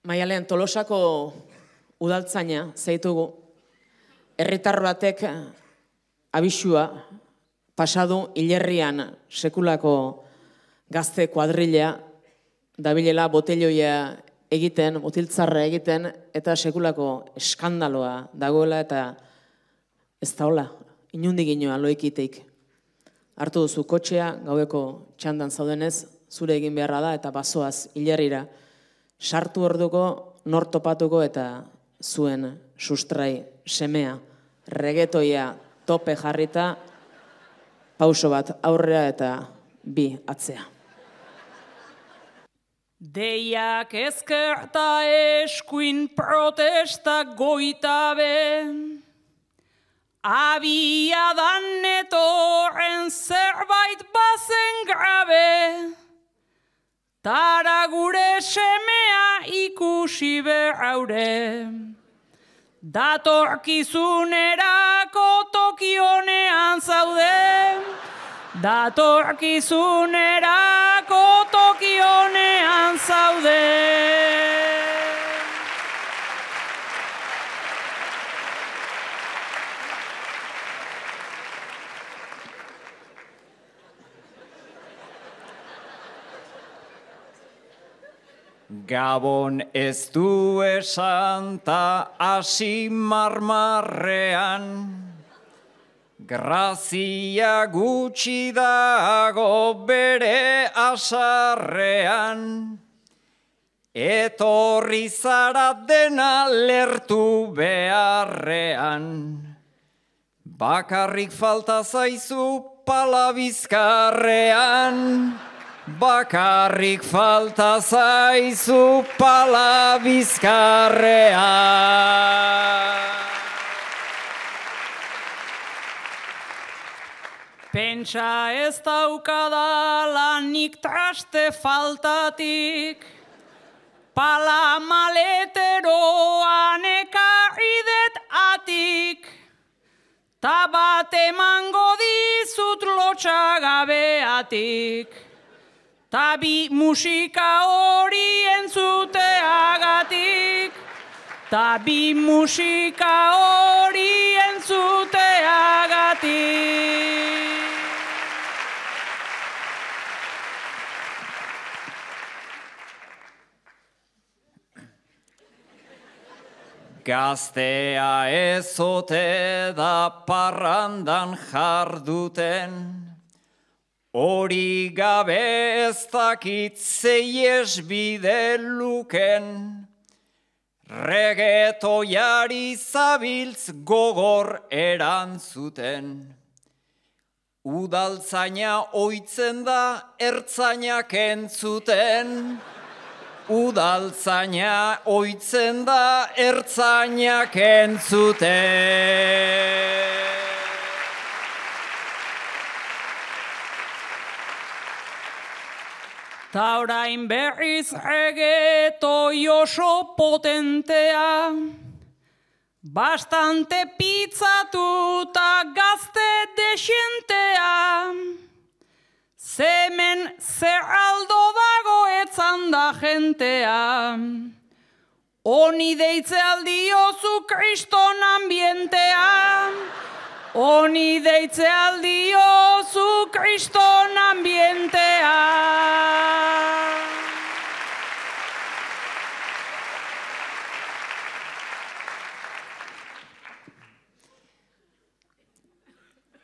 Maialen Tolosako udaltzaina zeitugu, herritar batek abisua pasadu hilerrian sekulako gazte kuadrilla dabilela botelloia egiten, botiltzarra egiten, eta sekulako eskandaloa dagoela eta ez da hola, inundik inoa loikiteik. Hartu duzu kotxea, gaueko txandan zaudenez, zure egin beharra da eta bazoaz hilerrira. Sartu orduko, nor topatuko eta zuen sustrai semea, regetoia tope jarrita, pauso bat aurrera eta bi atzea. Deiak ezkerta eskuin protesta goitabe, abiadan etorren zerbait bazen grabe, tara gure semea ikusi berraure, datorkizunerako tokionean zaude, datorkizunerako tokionean zaude. Gabon ez du esan ta hasi marmarrean, grazia gutxi dago bere asarrean, etorri zara dena lertu beharrean, bakarrik falta zaizu pala bizkarrean, bakarrik falta zaizu pala bizkarrean. Pentsa ez daukada lanik traste faltatik, pala maleteroan ekarri det atik, ta bat emango dizut lotxagabeatik, ta bi musika hori entzuteagatik, ta bi musika hori entzuteagatik. Gaztea ezote da parrandan jarduten, hori gabe ez dakit zeies bide luken, regetoiari zabiltz gogor erantzuten. Udaltzaina oitzen da ertzainak entzuten, udaltzaina oitzen da ertzainak entzuten. Ta orain berriz regetoi oso potentea, bastante pizzatu ta gazte desientea, zemen zerraldo dago etzan da jentea, honi deitze aldiozu kriston ambientea, honi deitze aldiozu kriston ambientea.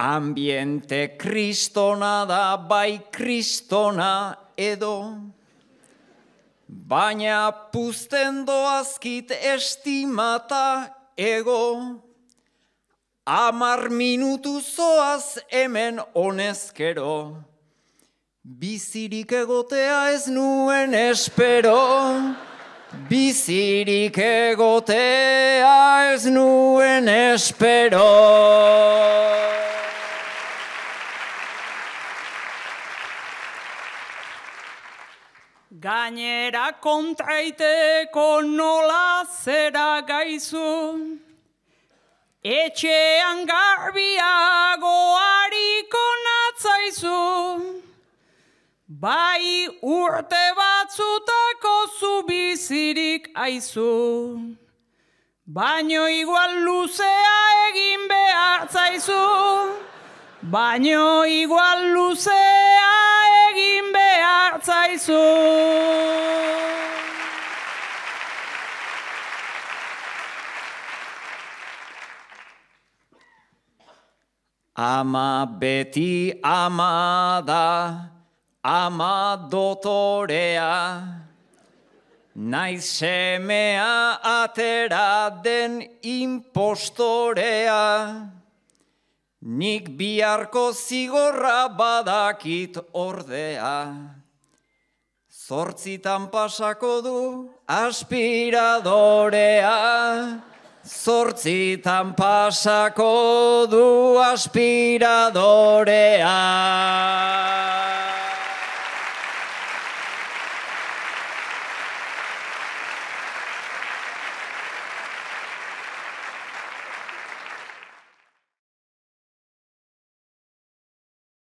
Ambiente kristona da bai kristona edo, baina puzten doazkit estimata ego, 10 minutu zoaz hemen honezkero, bizirik egotea ez nuen espero, bizirik egotea ez nuen espero. Gainera kontraiteko nola zera gaizu, etxean garbiago hariko natzaizu, bai urte batzutako beharko zu bizirik aizu. Baino igual luzea egin behar zaizu. Baino igual luzea egin behar zaizu. Ama beti ama da, ama dotorea, naiz semea atera den impostorea, nik biharko zigorra badakit ordea, zortzitan pasako du aspiradorea, zortzitan pasako du aspiradorea.